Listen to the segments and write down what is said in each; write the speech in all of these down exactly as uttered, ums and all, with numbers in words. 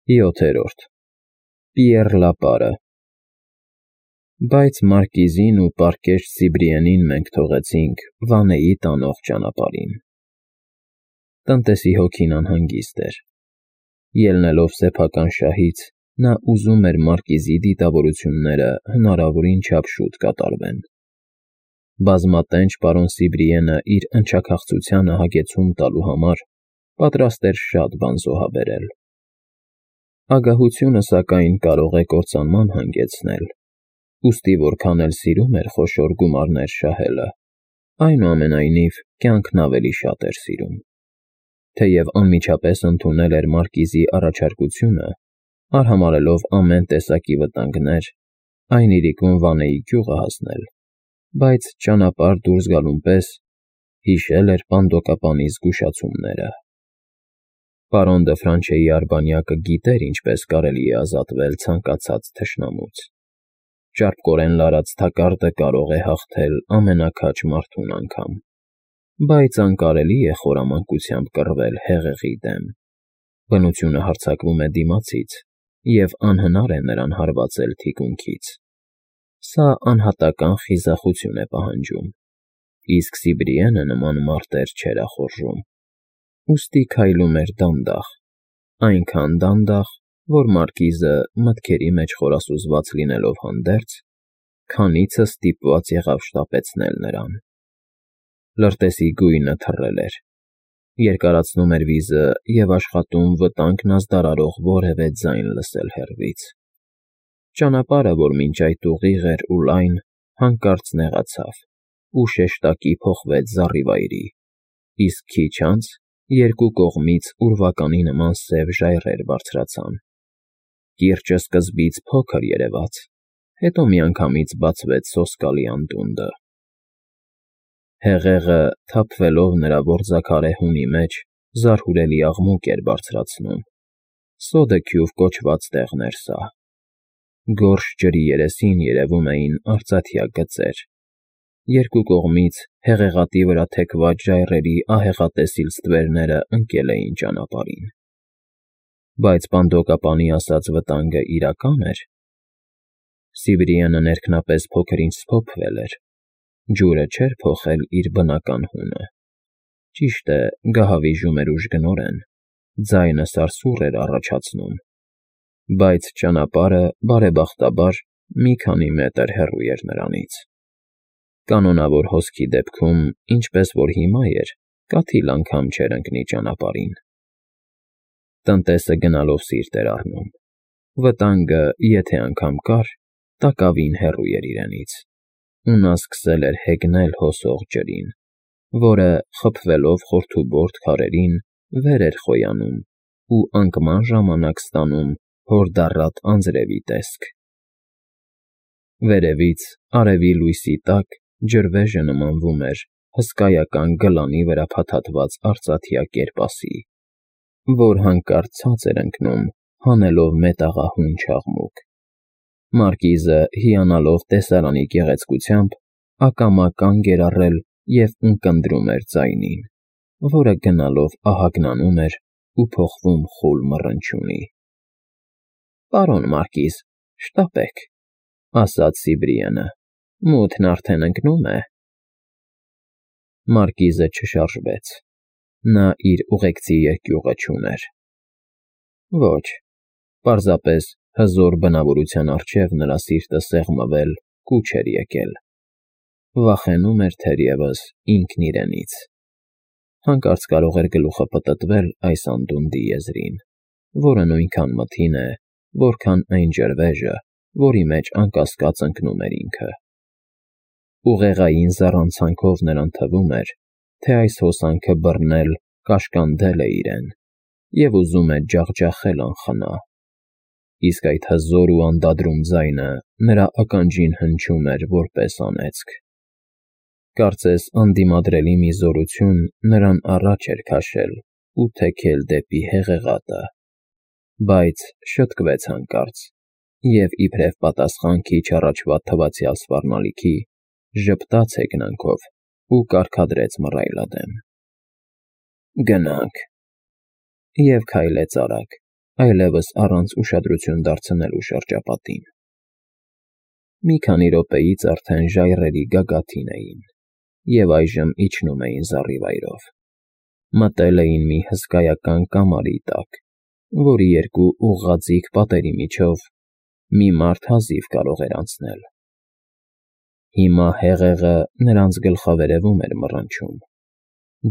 յոթերորդ Պիեռ Լապարը Բայց մարկիզին ու պարկեշտ Սիբրիենին մենք թողեցինք Վանեի տանող ճանապարհին։ Տնտեսի հոգին անհանգիստ էր։ Ելնելով սեփական շահից, նա ուզում էր մարկիզի դիտավորությունները հնարավորին չափ շուտ կատարվեն։ Բազմատենչ պարոն Սիբրիենը իր ընչաքաղցությանը հագեցում տալու համար պատրաստ էր շատ բան զոհաբերել։ Ագահությունը, սակայն, կարող է կործանման հանգեցնել, ուստի որքան էլ սիրում էր խոշոր գումարներ շահելը, այնուամենայնիվ կյանքն ավելի շատ էր սիրում։ Թեև անմիջապես ընդունել էր մարկիզի առաջարկությունը, արհամարհելով ամեն տեսակի վտանգներ, այն իրիկուն Վանեի գյուղը հասնել, բայց ճանապարհ դուրս գալուն պես հիշել էր պանդոկապանի զգուշացումները։ Պարոն դը Ֆրանչեի արբանյակը գիտեր ինչպես կարելի է ազատվել ցանկացած թշնամուց։ Ճարպկորեն լարած թակարդը կարող է հաղթել ամենաքաջ մարդուն անգամ, բայց անկարելի է խորամանկությամբ կռվել հեղեղի դեմ։ Բնությունը հարձակվում է դիմացից, և անհնար է նրան հարվածել թիկունքից։ Սա անհատական խիզախություն է պահանջում, իսկ Սիբրիենը նման մարտեր չէր ախորժում։ Ուստի քայլում էր դանդաղ, այնքան դանդաղ, որ մարկիզը, մտքերի մեջ խորասուզված լինելով հանդերձ, քանիցս ստիպված եղավ շտապեցնել նրան։ Լրտեսի գույնը թռել էր, երկարացնում էր վիզը և աշխատում վտանգն ազդարարող որևէ ձայն լսել հեռվից։ Ճանապարհը, որ մինչ այդ ուղիղ էր ու լայն, հանկարծ նեղացավ ու շեշտակի փոխվեց զառիվայրի, իսկ քիչ անց երկու կողմից ուրվականի նման սև ժայռեր բարձրացան։ Կիրճը սկզբից փոքր երևաց, հետո միանգամից բացվեց սոսկալի անդունդը։ Հեղեղը, թափվելով նրա որձաքարե հունի մեջ, զարհուրելի աղմուկ էր բարձրացնում։ Սոդեքյուվ կոչված տեղն էր սա։ Գորշ ջրի երեսին երևում էին արծաթյա գծեր։ Երկու կողմից հեղեղատի վրա թեքված ժայռերի ահեղատեսիլ ստվերները ընկել էին ճանապարհին։ Բայց պանդոկապանի ասած վտանգը իրական էր։ Սիբրիենը ներքնապես փոքր-ինչ սփոփվել էր, ջուրը չէր փոխել իր բնական հունը։ Ճիշտ է, գահավիժում էր ուժգնորեն, ձայնը սարսուռ էր առաջացնում, բայց ճանապարհը, բարեբախտաբար, մի քանի մետր հեռու էր նրանից։ Կանոնավոր հոսքի դեպքում, ինչպես որ հիմա էր, կաթիլ անգամ չէր ընկնի ճանապարհին։ Տնտեսը գնալով սիրտ էր առնում։ Վտանգը, եթե անգամ կար, տակավին հեռու էր իրենից, ու նա սկսել էր հեգնել հոսող ջրին, որը, խփվելով խորթուբորդ քարերին, վեր էր խոյանում ու անկման ժամանակ ստանում հորդառատ անձրևի տեսք։ Վերևից, արևի լույսի տակ, ջրվեժը նմանվում էր հսկայական գլանի վրա փաթաթված արծաթյա կերպասի, որ հանկարծ ցած էր ընկնում, հանելով մետաղահուն չաղմուկ։ Մարկիզը, հիանալով տեսարանի գեղեցկությամբ, ակամա կանգ էր առել և ունկնդրում էր ձայնին, որը գնալով ահագնանում էր ու փոխվում խուլ մռնչյունի։ ֊ Պարոն մարկիզ, շտապեք, ֊ ասաց Սիբրիենը, ֊ մութն արդեն ընկնում է։ Մարկիզը չշարժվեց։ Նա իր ուղեկցի երկյուղը չուներ։ Ոչ, պարզապես հզոր բնավորության առջև նրա սիրտը սեղմվել, կուչ էր եկել։ Վախենում էր թերևս ինքն իրենից։ Հանկարծ կարող էր գլուխը պտտվել այս անդունդի եզրին, որը նույնքան մթին է, որքան այն ջրվեժը, որի մեջ անկասկած ընկնում էր ինքը։ Ուղեղային զառանցանքով նրան թվում էր, թե այս հոսանքը բռնել, կաշկանդել է իրեն և ուզում է ջախջախել անխնա, իսկ այդ հզոր ու անդադրուն ձայնը նրա ականջին հնչում էր որպես անեծք։ Կարծես անդիմադրելի մի զորություն նրան առաջ էր քաշել ու թեքել դեպի հեղեղատը, բայց շտկվեց հանկարծ և, իբրև պատասխան քիչ առաջվա թվացյալ սպառնալիքի, ժպտաց հեգնանքով ու կարգադրեց մռայլադեմ. «Գնանք» և քայլեց արագ, այլևս առանց ուշադրություն դարձնելու շրջապատին։ Մի քանի րոպեից արդեն ժայռերի գագաթին էին և այժմ իջնում էին զառիվայրով։ Մտել էին մի հսկայական կամարի տակ, որի երկու ուղղաձիգ պատերի միջով մի մարդ հազիվ կարող էր անցնել։ Հիմա հեղեղը նրանց գլխավերևում էր մռնչում։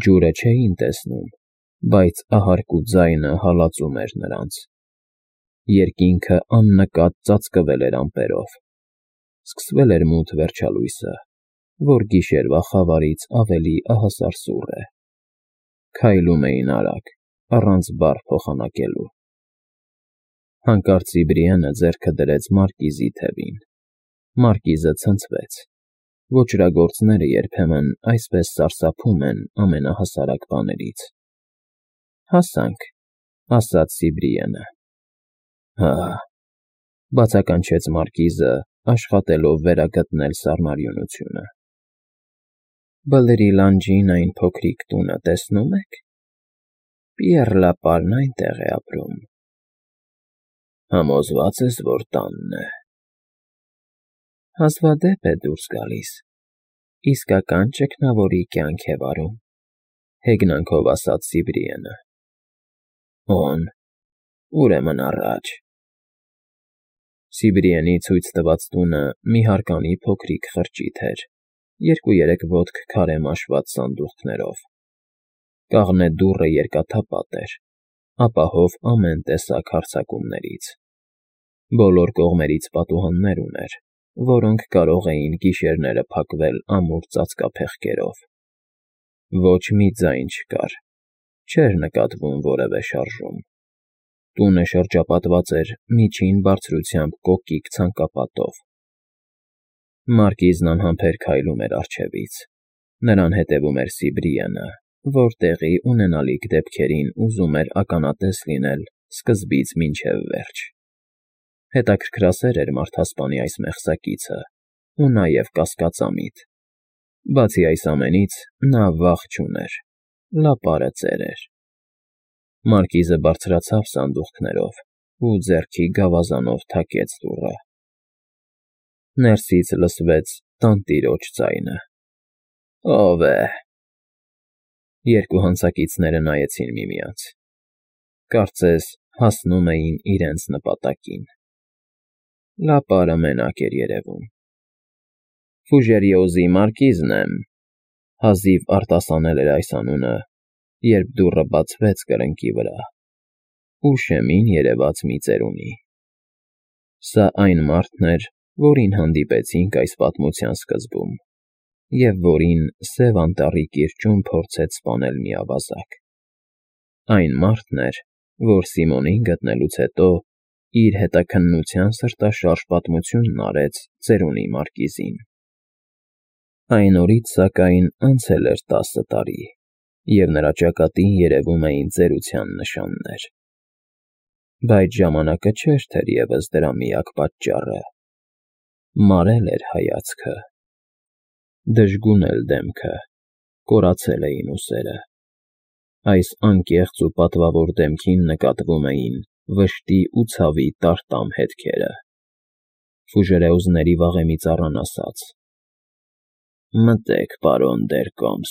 Ջուրը չէին տեսնում, բայց ահարկու ձայնը հալածում էր նրանց։ Երկինքը աննկատ ծածկվել էր ամպերով։ Սկսվել էր մութ վերջալույսը, որ գիշերվա խավարից ավելի ահասար սուռ է։ Քայլում էին արագ, առանց բառ փոխանակելու։ Հանկարծ Սիբրիանը ձեռքը դրեց մարկիզի թևին։ Մարկիզը ցնցվեց։ Ոճրագործները երբեմն այսպես սարսափում են ամենահասարակ բաներից։ «Հասանք», ասաց Սիբրիանը։ «Հա», բացականչեց մարկիզը, աշխատելով վերագտնել սառնարյունությունը։ «Բլրի լանջին այն փոքրիկ տունը տեսնո՞ւմ եք։ Պիեռ Լապարն այնտեղ է ապրում»։ «Համոզվա՞ծ ես, որ տանն է»։ «Հազվադեպ է դուրս գալիս, իսկական ճգնավորի կյանք է վարում», հեգնանքով ասաց Սիբրիանը։ «Օն, ուրեմն առաջ»։ Սիբրիենի ցույց տված տունը մի հարկանի փոքրիկ խրճիթ էր, երկու֊երեք ոտք քարե մաշված սանդուղքներով։ Կաղնե դուռը երկաթապատ էր, ապահով ամեն տեսակ հարձակումներից։ Բոլոր կողմերից պատուհաններ ուներ, որոնք կարող էին գիշերները փակվել ամուր ծածկափեղկերով։ Ոչ մի ձայն չկար, չէր նկատվում որևէ շարժում։ Տունը շրջապատված էր միջին բարձրությամբ կոկիկ ցանկապատով։ Մարկիզն անհամբեր քայլում էր առջևից։ Նրան հետևում էր Սիբրիանը, որ տեղի ունենալիք դեպքերին ուզում էր ականատես լինել սկզբից մինչև վերջ։ Հետաքրքրասեր էր մարդասպանի այս մեղսակիցը ու նաև կասկածամիտ։ Բացի այս ամենից, նա վախ չուներ, լապարը ծեր էր։ Մարկիզը բարձրացավ սանդուղքներով ու ձեռքի գավազանով թակեց դուռը։ Ներսից լսվեց տանտիրոջ ձայնը. «Ո՞վ է»։ Երկու հանցակիցները նայեցին միմյանց։ Կարծես հասնում էին իրենց նպատակին։ Լապարը մենակ էր երևում։ «Ֆուժերիոզի մարկիզն եմ», հազիվ արտասանել էր այս անունը, երբ դուռը բացվեց կրկնակի վրա, ու շեմին երևաց մի ծերունի։ Սա այն մարդն էր, որին հանդիպեցինք այս պատմության սկզբում, և որին Սև Անտառի կիրճում փորձեց սպանել մի ավազակ։ Այն մարդն էր, որ Սիմոնին գտնելուց հետո իր հետաքննության սրտաշարժ պատմությունն արեց ծերունի մարկիզին։ Այն օրից, սակայն, անցել էր տասը տարի, և նրա ճակատին երևում էին ծերության նշաններ։ Բայց ժամանակը չէր թերևս դրա միակ պատճառը։ Մարել էր հայացքը, դժգուն էլ դեմքը, կորացել էին ուսերը։ Այս անկեղծ ու պատվավոր դեմքին նկատվում էին վշտի ու ցավի տարտամ հետքերը։ Ֆուժերեոզների վաղեմի ծառան ասաց. «Մտե՛ք, պարոն Դերկոմս»։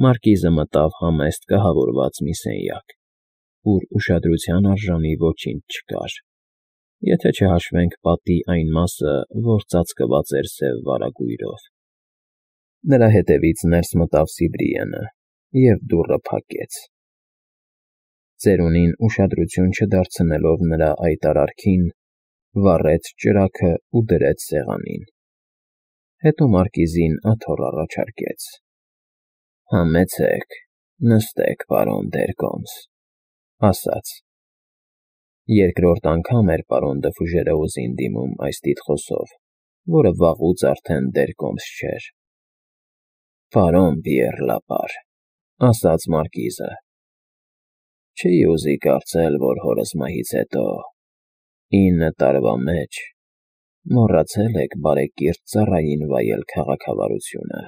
Մարկիզը մտավ համեստ կահավորված մի սենյակ, ուր ուշադրության արժանի ոչինչ չկար, եթե չհաշվենք պատի այն մասը, որ ծածկված էր սև վարագույրով։ Նրա հետևից ներս մտավ Սիբրիանը և դուռը փակեց։ Ծերունին ուշադրություն չդարձնելով նրա այդ արարքին, վառեց ճրագն ու դրեց սեղանին։ Հետո մարկիզին աթոռ առաջարկեց. «Համեցեք, նստեք, պարոն Դերկոմս», ասաց։ Երկրորդ անգամ էր պարոն Դը Ֆուժերեոզին դիմում այս տիտղոսով, որը վաղուց արդեն Դերկոմս չէր։ «Պարոն Պիեռ Լապար», ասաց մարկիզը, չի ուզի կարծել, որ հորս մահից հետո, ինը տարվա մեջ, մոռացել եք բարեկիրթ ծառային վայել քաղաքավարությունը։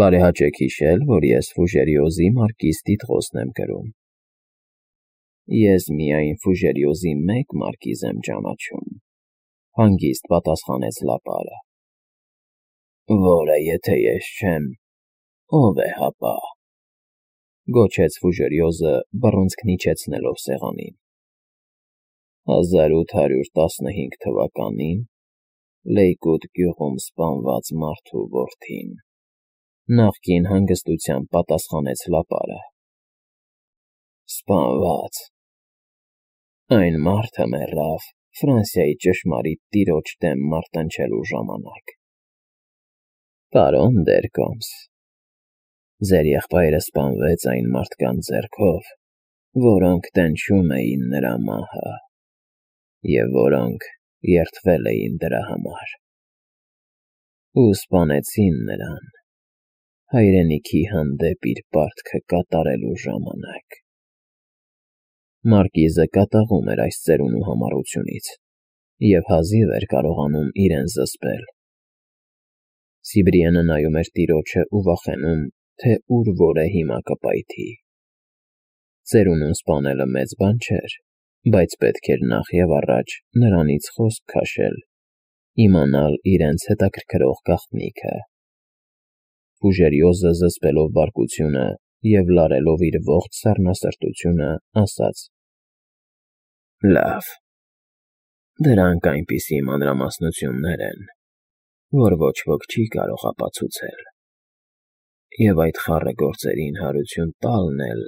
Բարեհաճեք հիշել, որ ես Ֆուժերիոզի մարկիզ տիտղոսն եմ կրում։ Ես միայն Ֆուժերիոզի մեկ մարկիզ եմ ճանաչում,֊ հանգիստ պատասխանեց Լապարը։ Որը եթե ես չեմ, ո՞վ է հապա,֊ գոչեց Ֆուժերիոզը, բռունցքն իջեցնելով սեղանին։ հազար ութ հարյուր տասնհինգ թվականին Լեյկոտ գյուղում սպանված մարդու որդին,֊ նախկին հանգստությամբ պատասխանեց Լապարը։ Սպանված… Այն մարդը մեռավ Ֆրանսիայի ճշմարիտ տիրոջ դեմ մարտնչելու ժամանակ։ Պարոն Դերկոմս, ձեր եղբայրը սպանվեց այն մարդկանց ձեռքով, որոնք տենչում էին նրա մահը և որոնք երդվել էին դրա համար, ու սպանեցին նրան հայրենիքի հանդեպ իր պարտքը կատարելու ժամանակ։ Մարկիզը կատաղում էր այս ծերունու համառությունից և հազիվ էր կարողանում իրեն զսպել։ Սիբրիենը նայում էր տիրոջը ու վախենում, թե ուր որ է հիմա կպայթի։ Ծերունուն սպանելը մեծ բան չէր, բայց պետք էր նախ և առաջ նրանից խոսք քաշել, իմանալ իրենց հետաքրքրող գաղտնիքը։ Ֆուժերիոզը, զսպելով բարկությունը և լարելով իր ողջ սառնասրտությունը, ասաց. Լավ, դրանք այնպիսի մանրամասնություններ են, որ ոչ ոք չի կարող ապացուցել, և այդ խառը գործերին հարություն տալն էլ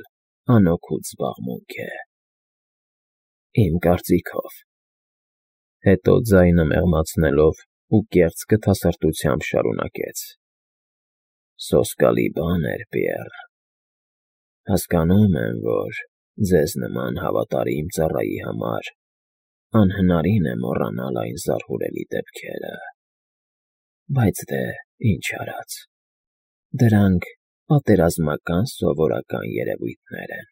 անօգուտ զբաղմունք է։ Իմ կարծիքով,֊ հետո ձայնը մեղմացնելով ու կեղծ գթասրտությամբ շարունակեց,֊ սոսկալի բան էր, Պիեռ… Հասկանում եմ, որ ձեզ նման հավատարիմ ծառայի համար անհնարին է մոռանալ այն զարհուրելի դեպքերը, բայց դե ինչ արած, դրանք պատերազմական սովորական երևույթներ են։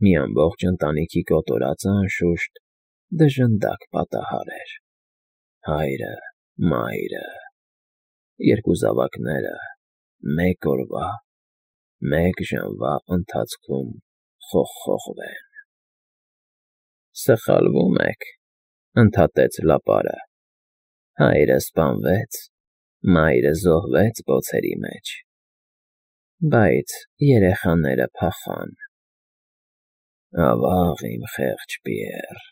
Մի ամբողջ ընտանիքի կոտորածը, անշուշտ, դժնդակ պատահար էր. հայրը, մայրը, երկու զավակները մեկ օրվա, մեկ ժամվա ընթացքում խոխոխվեն։ Սխալվում եք,֊ ընդհատեց Լապարը, հայրը սպանվեց, մայրը զոհվեց բոցերի մեջ, բայց երեխաները փախան։ Ավա՜ղ, իմ խեղճ Պիեռ,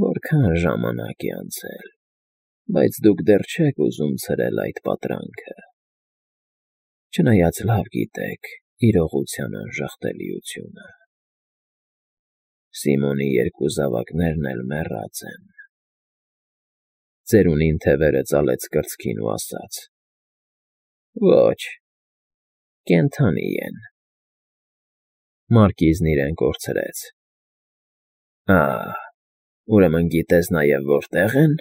որքան ժամանակ է անցել, բայց դուք դեռ չեք ուզում ցրել այդ պատրանքը, չնայած լավ գիտեք իրողության անժխտելիությունը։ Սիմոնի երկու զավակներն էլ մեռած են։ Ծերունին թևերը ծալեց կրծքին ու ասաց. Ոչ, կենդանի են։ Մարկիզն իրեն կորցրեց։ Ա՜, ուրեմն գիտես նաև որտեղ են։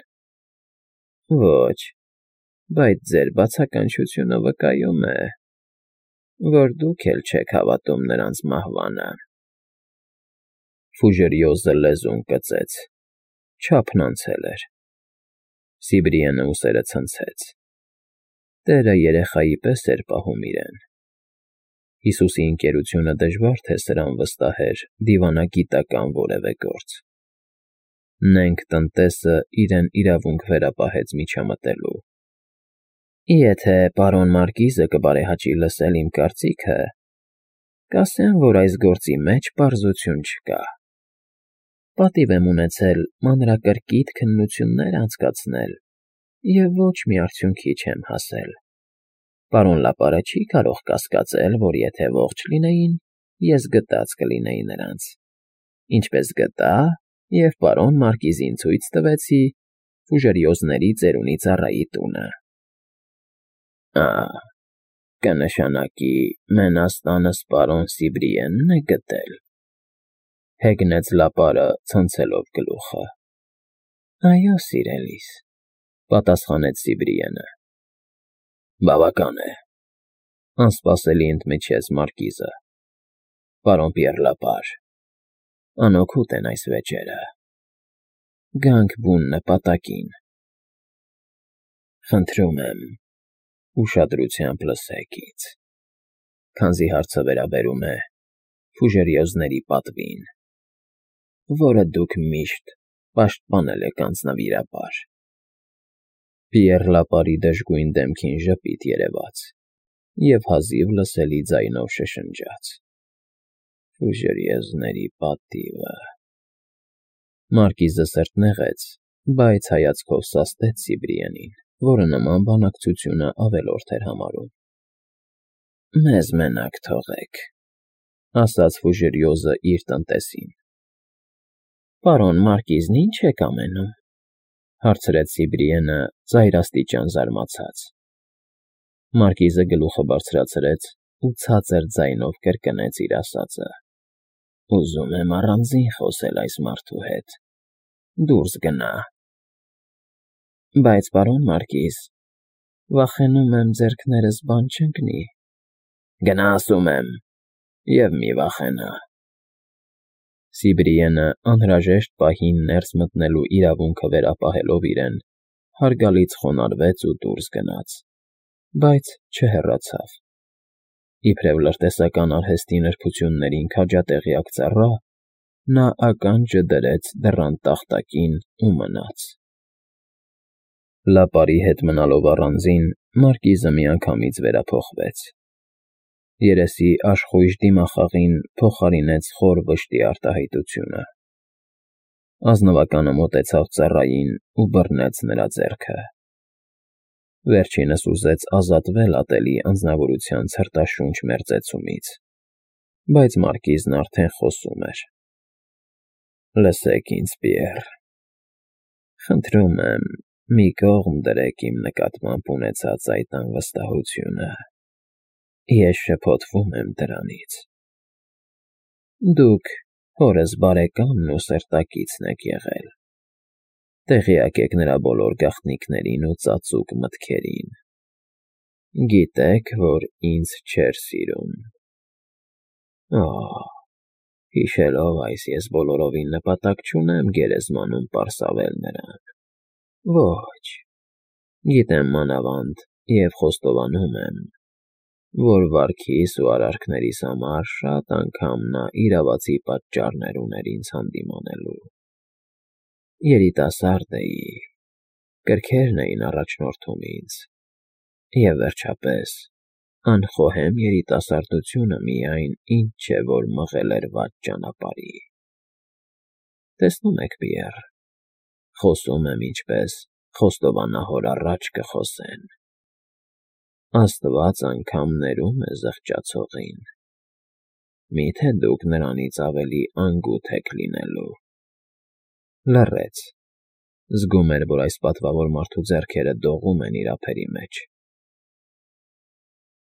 Ոչ, բայց ձեր բացականչությունը վկայում է, որ դուք էլ չեք հավատում նրանց մահվանը։ Ֆուժերիոզը լեզուն կծեց, չափն անցել էր։ Սիբրիենը ուսերը ցնցեց։ Տերը երեխայի պես էր պահում իրեն։ Հիսուսի ընկերությունը դժվար թե սրան վստահեր դիվանագիտական որևէ գործ։ Նենգ տնտեսը իրեն իրավունք վերապահեց միջամտելու։ Եթե պարոն Մարկիզը կբարեհաճի լսել իմ կարծիքը, կասեմ, որ այս գործի մեջ պարզություն չկա։ Պատիվ եմ ունեցել մանրակրկիտ քննություններ անցկացնել և ոչ մի արդյունքի չեմ հասել։ Պարոն Լապարը չի կարող կասկածել, որ եթե ողջ լինեին, ես գտած կլինեի նրանց, ինչպես գտա և պարոն Մարկիզին ցույց տվեցի Ֆուժերիոզների ծերունի ծառայի տունը։ Ա՜, կնշանակի մենաստանս պարոն Սիբրիենն է գտել,֊ հեգնեց Լապարը, ցնցելով գլուխը։ Այո, սիրելիս,֊ պատասխանեց Սիբրիենը։ Բավական է,֊ անսպասելի ընդմիջեց Մարկիզը։ Պարոն Պիեռ Լապար, անօգուտ են այս վեճերը։ Գանք բուն նպատակին։ Խնդրում եմ, ուշադրությամբ լսեք ինձ, քանզի հարցը վերաբերում է Ֆուժերիոզների պատվին, որը դուք միշտ պաշտպանել եք անձնվիրաբար։ Պիեռ Լապարի դժգույն դեմքին ժպիտ երևաց և հազիվ լսելի ձայնով շշնջաց. Ֆուժերիոզների պատիվը… Մարկիզը սրտնեղեց, բայց հայացքով սաստեց Սիբրիենին, որը նման բանակցությունը ավելորդ էր համարում։ Մեզ մենակ թողեք, ասաց Ֆուժերիոզը իր տնտեսին։ Պարոն Մարկիզն ի՞նչ եք ամենում, հարցրեց Սիբրիենը ծայրաստիճան զարմացած։ Մարկիզը գլուխը բարձրացրեց ու ցածր ձայնով կրկնեց իր ասածը. Ուզում եմ առանձին խոսել այս մարդու հետ, դուրս գնա։ Բայց, պարոն Մարկիզ, վախենում եմ ձեռքներս բան չընկնի։ Գնա, ասում եմ, և մի վախենա։ Սիբրիենը անհրաժեշտ պահին ներս մտնելու իրավունքը վերապահելով իրեն, հարգալից խոնարհվեց ու դուրս գնաց, բայց չհեռացավ։ Իբրև լրտեսական արհեստի նրբություններին քաջատեղյակ ծառա, նա ականջը դրեց դռան տախտակին ու մնաց։ Լապարի հետ մնալով առանձին, Մարկիզը միանգամից վերափոխվեց։ Երեսի աշխույժ դիմախաղին փոխարինեց խոր վշտի արտահայտությունը։ Ազնվականը մոտեցավ ծառային ու բռնեց նրա ձեռքը։ Վերջինս ուզեց ազատվել ատելի անձնավորության ցրտաշունչ մերձեցումից, բայց Մարկիզն արդեն խոսում էր. Լսեք ինձ, Պիեռ, խնդրում եմ, մի կողմ դրեք իմ նկատմամբ ունեցած այդ անվստահությունը, ես շփոթվում եմ դրանից։ Դուք հորս բարեկամն ու սերտակիցն եք եղել, տեղյակ եք նրա բոլոր գաղտնիքներին ու ծածուկ մտքերին, գիտեք, որ ինձ չէր սիրում։ Օհ, հիշելով այս, ես բոլորովին նպատակ չունեմ գերեզմանում պարսավել նրան, ոչ, գիտեմ մանավանդ և խոստովանում եմ, որ վարքիս ու արարքներիս համար շատ անգամ նա իրավացի պատճառներ ուներ ինձ հանդիմանելու։ Երիտասարդ էի, կրքերն էին առաջնորդում ինձ, և վերջապես, անխոհեմ երիտասարդությունը միայն ինչ չէ, որ մղել էր վատ ճանապարհի։ Տեսնում եք, Պիեռ, խոսում եմ ինչպես խոստովանահոր առաջ կխոսեն։ Աստված անգամ ներում է զղջացողին։ Մի՞թե դուք նրանից ավելի անգութ եք լինելու։ Լռեց, զգում էր, որ այս պատվավոր մարդու ձեռքերը դողում են իր ափերի մեջ։